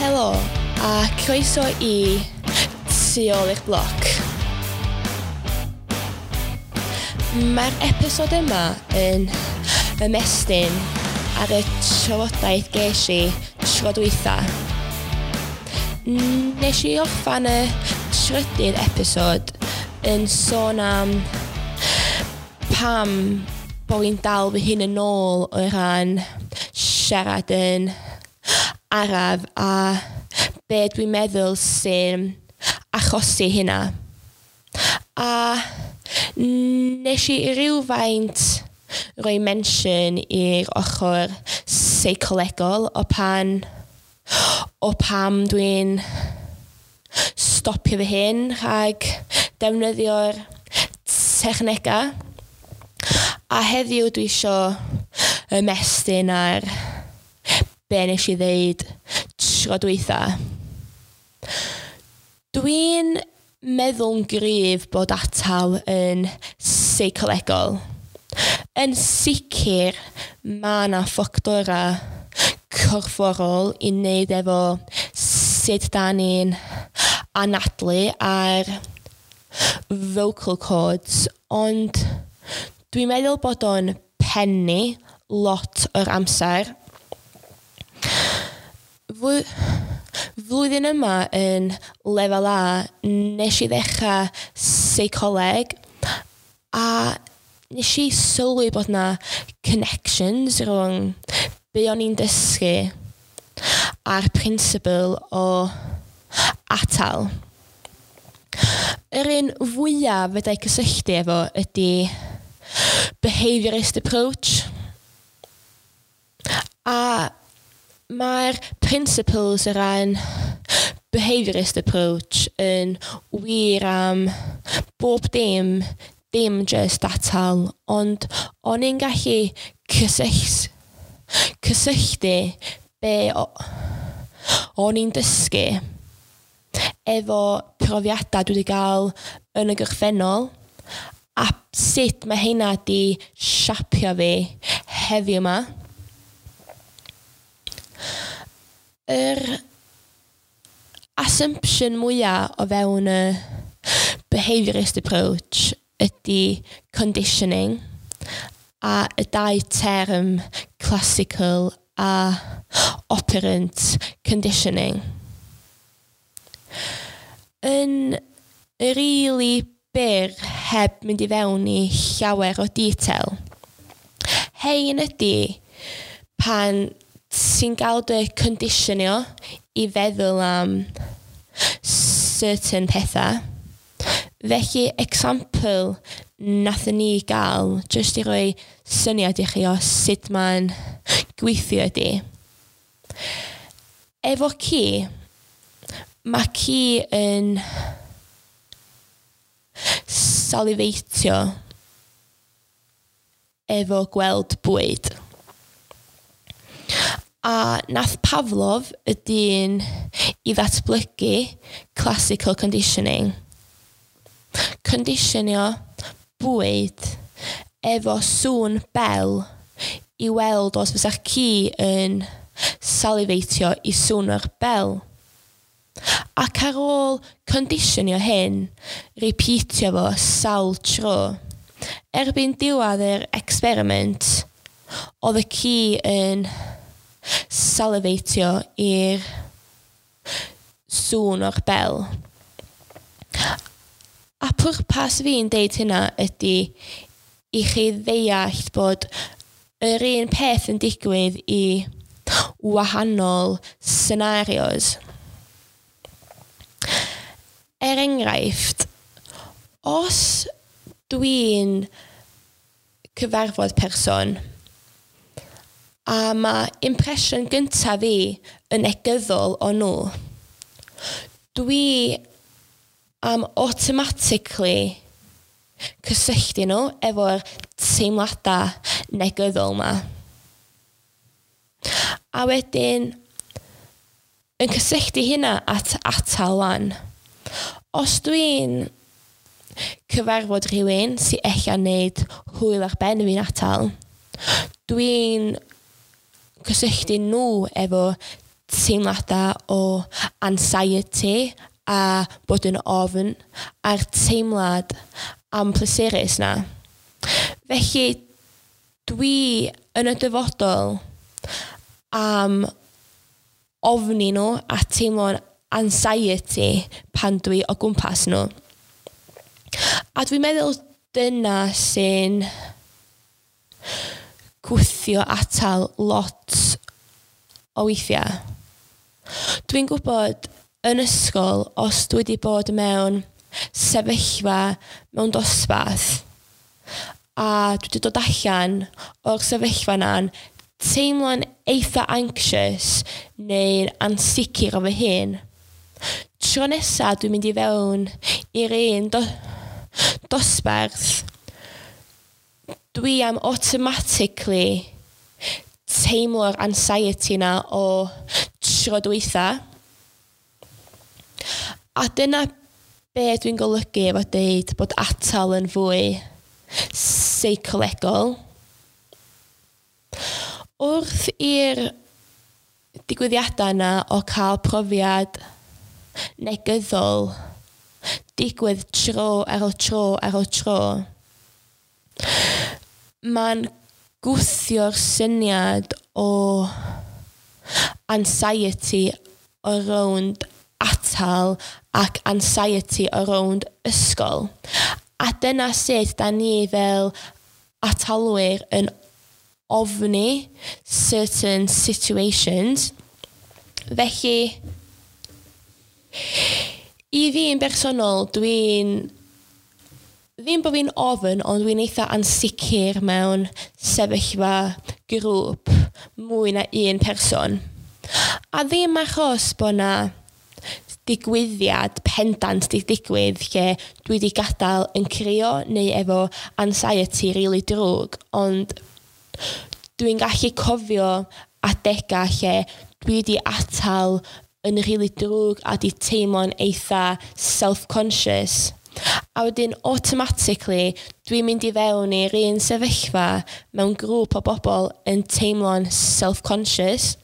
Helo a croeso i Tu ôl i'r bloc. Mae'r episod yma yn ymestyn ar y trafodaeth ges i tro dwytha. Nes i orffan y trydydd episod yn sôn am pam bo fi'n dal fy hun yn ôl o ran siarad yn araf a be dwi'n meddwl sy'n achosi hynna. A nes i rywfaint roi mention i'r ochr seicolegol o pan o pam dwi'n stopio fy hun rhag defnyddio'r technegau. A heddiw dwi isio ymestyn ar be nes i ddeud tro dwytha. Dwi'n meddwl'n gryf bod atal yn seicolegol. Yn sicr ma' 'na ffactora corfforol i wneud efo sut 'dan ni'n anadlu a'r vocal cords, ond dwi'n meddwl bod o'n pennu lot o'r amser. Flwyddyn yma yn lefel A nes i ddechra seicoleg a nes i sylwi bod 'na connections rhwng be o'n i'n dysgu a'r principle o atal. Yr un fwyaf fedra i cysylltu efo ydy behaviourist approach. A mae'r principles o ran behaviourist approach yn wir am bob dim, dim jyst atal, ond o'n i'n gallu cysylltu be o'n i'n dysgu efo profiadau dwi wedi gael yn y gorffennol a sut mae heina 'di siapio fi heddiw 'ma. Yr assumption mwya o fewn y behaviourist approach ydy conditioning a y dau term classical a operant conditioning. Yn rili byr, heb mynd i fewn i llawer o detail, hein ydy pan ti'n gael dy conditionio i feddwl am certain pethau. Felly, example nathon ni gael, jyst i roi syniad i chi o sut mae'n gweithio ydy, efo ci, mae ci yn saliveitio efo gweld bwyd. A nath Pavlov, y dyn i ddatblygu classical conditioning, conditionio bwyd efo sŵn bel i weld os fysa'r ci yn saliveitio i sŵn o'r bel. Ac ar ôl conditionio hyn, repeatio fo sawl tro, erbyn diwedd yr experiment, oedd y ci yn saliveitio i'r sŵn o'r bel. A pwrpas fi'n deud hynna ydy i chi ddeall bod yr un peth yn digwydd i wahanol scenarios. Er enghraifft, os dwi'n cyfarfod person a mae impression gyntaf fi yn negyddol o nhw, dwi am automatically cysylltu nhw efo'r teimladau negyddol 'ma. A wedyn yn cysylltu hynna at atal wan. Os dwi'n cyfarfod rhywun sy ella'n neud hwyl ar ben fi'n atal, dwi'n cysylltu nhw efo teimladau o anxiety a bod yn ofn a'r teimlad amhleserus 'na. Felly dwi yn y dyfodol am ofni nhw a teimlo'n anxiety pan dwi o gwmpas nhw. A dwi'n meddwl dyna sy'n gwthio atal lot o weithiau. Dwi'n gwybod yn ysgol, os dwi wedi bod mewn sefyllfa mewn dosbarth a dwi wedi dod allan o'r sefyllfa 'na'n teimlo'n eitha anxious neu'n ansicr o fy hun, tro nesa dwi'n mynd i fewn i'r un dosbarth, dwi am automatically teimlo'r anxiety 'na o tro dwytha. A dyna be dwi'n golygu efo deud bod atal yn fwy seicolegol. Wrth i'r digwyddiadau yna o cael profiad negyddol digwydd tro ar ôl tro ar ôl tro, mae'n gwthio'r syniad o anxiety o rownd atal ac anxiety o rownd ysgol. A dyna sut da ni fel atalwyr yn ofni certain situations. Felly, i fi'n bersonol, dwi'n ddim bod fi'n ofn, ond dwi'n eitha ansicr mewn sefyllfa grŵp mwy na un person. A ddim achos bod 'na digwyddiad pendant 'di digwydd lle dwi 'di gadael yn crio neu efo anxiety rili drwg, ond dwi'n gallu cofio adega lle dwi 'di atal yn rili drwg a 'di teimlo'n eitha self-conscious. A wedyn automatically dwi'n mynd i fewn i'r un sefyllfa mewn grŵp o bobl yn teimlo'n self-conscious.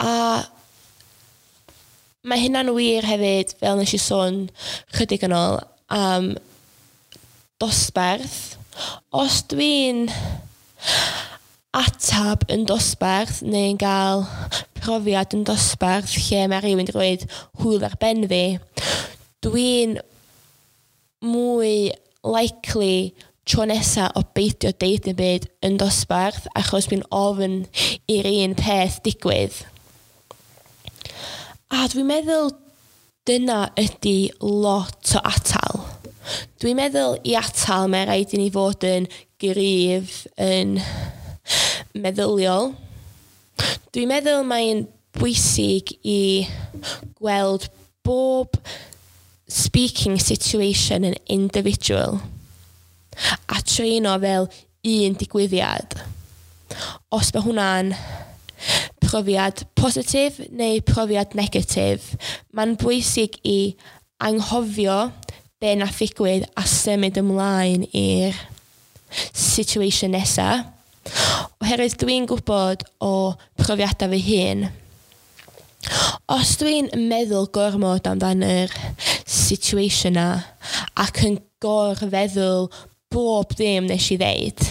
A mae hynna'n wir hefyd, fel nes i sôn chydig yn ôl, am dosbarth. Os dwi'n atab yn dosbarth neu'n gael profiad yn dosbarth lle mae rhywun wedi rhoid hwyl ar ben fi, dwi'n mwy likely tro nesa o beidio deud dim byd yn dosbarth achos dwi'n ofn i'r un peth digwydd. A dwi'n meddwl dyna ydy lot o atal. Dwi'n meddwl i atal mae rhaid i ni fod yn gryf yn meddyliol. Dwi'n meddwl mae'n bwysig i gweld bob speaking situation yn individual a trin o fel un digwyddiad. Os mae hwnna'n profiad positif neu profiad negatif, mae'n bwysig i anghofio be nath ddigwydd a symud ymlaen i'r situation nesa. Oherwydd dwi'n gwybod o profiadau fy hun, os dwi'n meddwl gormod amdan yr situation 'na ac yn gorfeddwl bob dim nes i ddeud,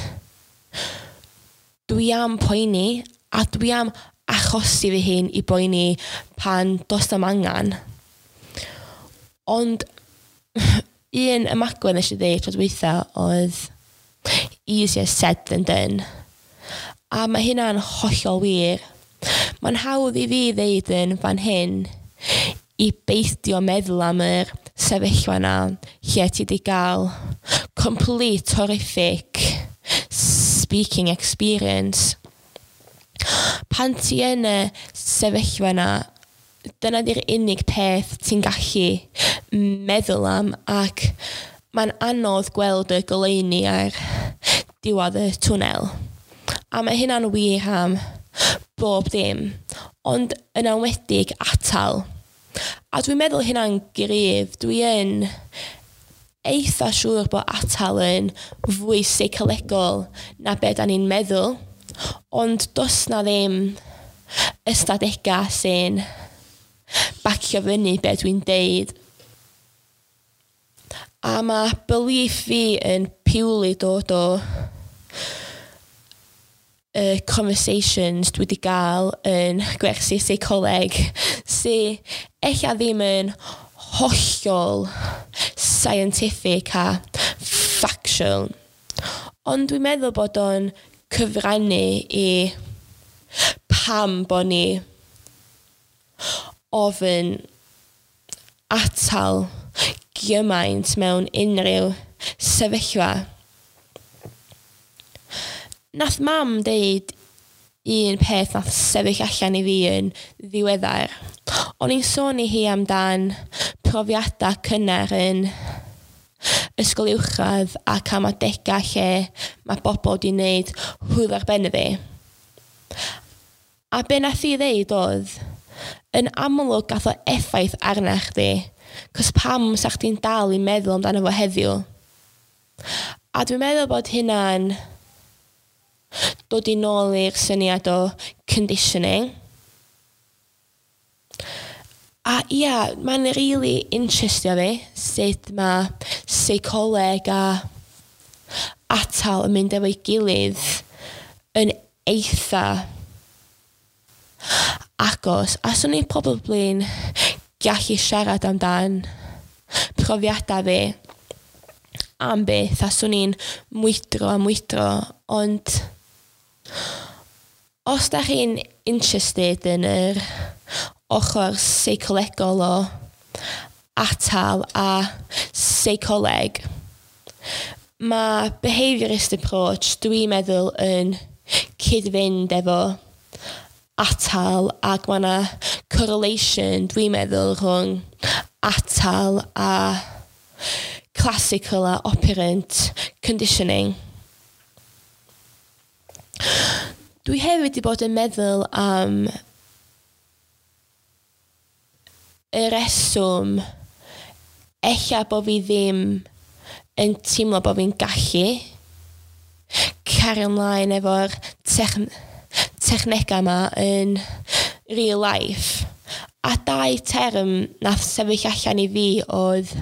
dwi am poeni a dwi am achosi fy hun i boeni pan does na'm angan. Ond un ymagwedd nes i ddeud tro dwytha oedd "easier said than done". A mae hynna'n hollol wir. Mae'n hawdd i fi ddeud yn fan hyn i beidio meddwl am yr sefyllfa 'na lle ti 'di gael complete horrific speaking experience. Pan ti yn y sefyllfa 'na, dyna 'di'r unig peth ti'n gallu meddwl am ac mae'n anodd gweld y goleuni ar diwedd y twnnel. A mae hynna'n wir am bob dim, ond yn enwedig atal. A dwi'n meddwl hynna'n gryf. Dwi yn eitha siŵr bod atal yn fwy seicolegol na be da ni'n meddwl, ond does na ddim ystadegau sy'n bacio fyny be dwi'n deud. A mae belief fi yn purely dod o y conversations dwi wedi gael yn gwersi seicoleg sy ella ddim yn hollol scientific a factual. Ond dwi'n meddwl bod o'n cyfrannu i pam bod ni ofyn atal gymaint mewn unrhyw sefyllfa. Nath mam deud un peth nath sefyll allan i fi yn ddiweddar. O'n i'n sôn i hi amdan profiadau cynnar yn ysgol uwchradd ac am adegau lle mae bobl wedi wneud hwyl ar ben y fi. A be nath hi ddeud oedd, yn amlwg gath o effaith arna chdi, cos pam sa chdi'n dal i meddwl amdano fo heddiw? A dwi'n meddwl bod hynna'n dod i nôl i'r syniad o conditioning. A ia, mae'n really interestio fi sut mae seicoleg a atal yn mynd efo'i gilydd yn eitha agos. A swn i'n probably'n gallu siarad amdan profiadau fi am beth, a swn i'n mwydro a mwydro, ond os da chi'n interested yn yr ochr seicolegol o atal a seicoleg, mae behaviourist approach dwi'n meddwl yn cyd-fynd efo atal, ac mae yna correlation dwi'n meddwl rhwng atal a classical a operant conditioning. Dwi hefyd wedi bod yn meddwl am y reswm ella bo fi ddim yn teimlo bo fi'n gallu cario ymlaen efo'r technegau yma yn real life. A dau term nath sefyll allan i fi oedd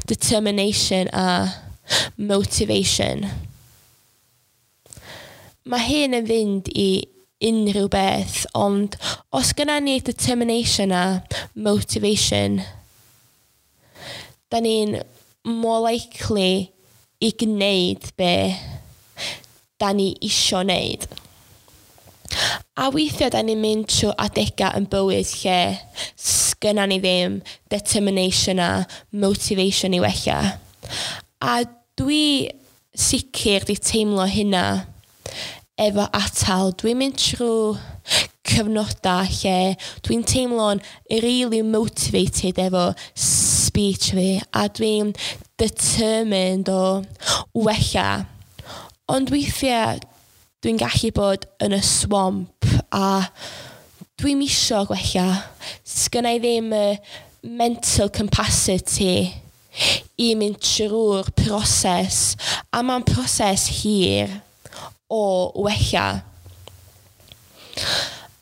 determination a motivation. Mae hyn yn fynd i unrhyw beth, ond os gynna ni determination a motivation, da ni'n more likely i gwneud be da ni isio wneud. A weithiau da ni'n mynd trwy adegau yn bywyd lle sgynna ni ddim determination a motivation i wella. A dwi sicr di teimlo hynna efo atal. Dwi'n mynd trwy cyfnodau lle dwi'n teimlo'n really motivated efo speech fi a dwi'n determined o wella. Ond weithiau dwi'n gallu bod yn y swamp a dwi'm isio gwella. Sgynna i ddim y mental capacity i mynd trwy'r proses, a mae'n proses hir o wella.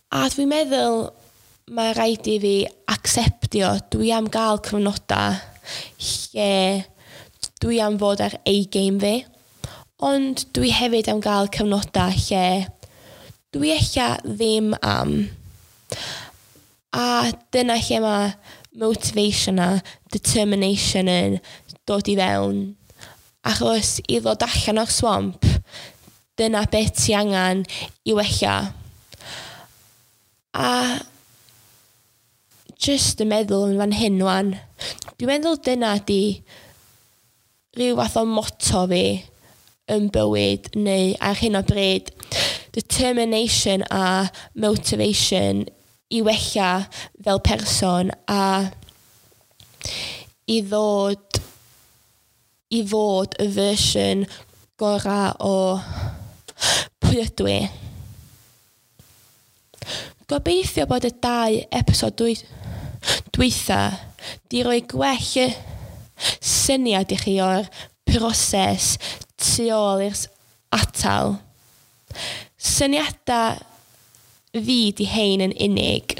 A dwi'n meddwl mae rhaid i fi acceptio dwi am gael cyfnodau lle dwi am fod ar A-game fi, ond dwi hefyd am gael cyfnodau lle dwi ella ddim am. A dyna lle mae motivation a determination yn dod i fewn. Achos i ddod allan o'r swamp, dyna beth ti angen i wella. A just yn meddwl yn fan hyn wan, dwi'n meddwl dyna di rhyw fath o motto fi yn bywyd neu ar hyn o bryd. Determination a motivation i wella fel person a i ddod i fod y fersiwn gorau o pwy ydw i. Gobeithio bod y dau episod dwytha di roi gwell syniad i chi o'r proses tu ôl i'r atal. Syniadau fi di hein yn unig.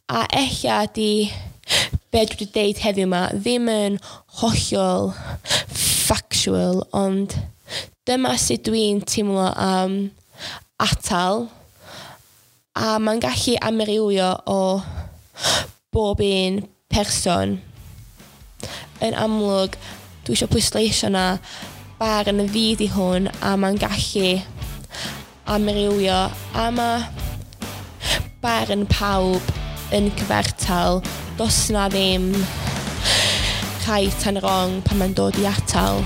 A ella di be dwi wedi deud heddiw 'ma ddim yn hollol factual, ond dyma sut dwi'n teimlo am atal, a mae'n gallu amrywio o bob un person. Yn amlwg, dwi eisiau pwysleisio na barn fi di hwn a mae'n gallu amrywio a mae barn pawb yn cyfartal. Does na ddim right and wrong pan mae'n dod i atal.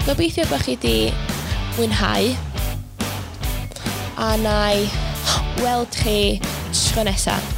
Gobeithio bod chi wedi mwynhau a na i weld chi tro nesaf.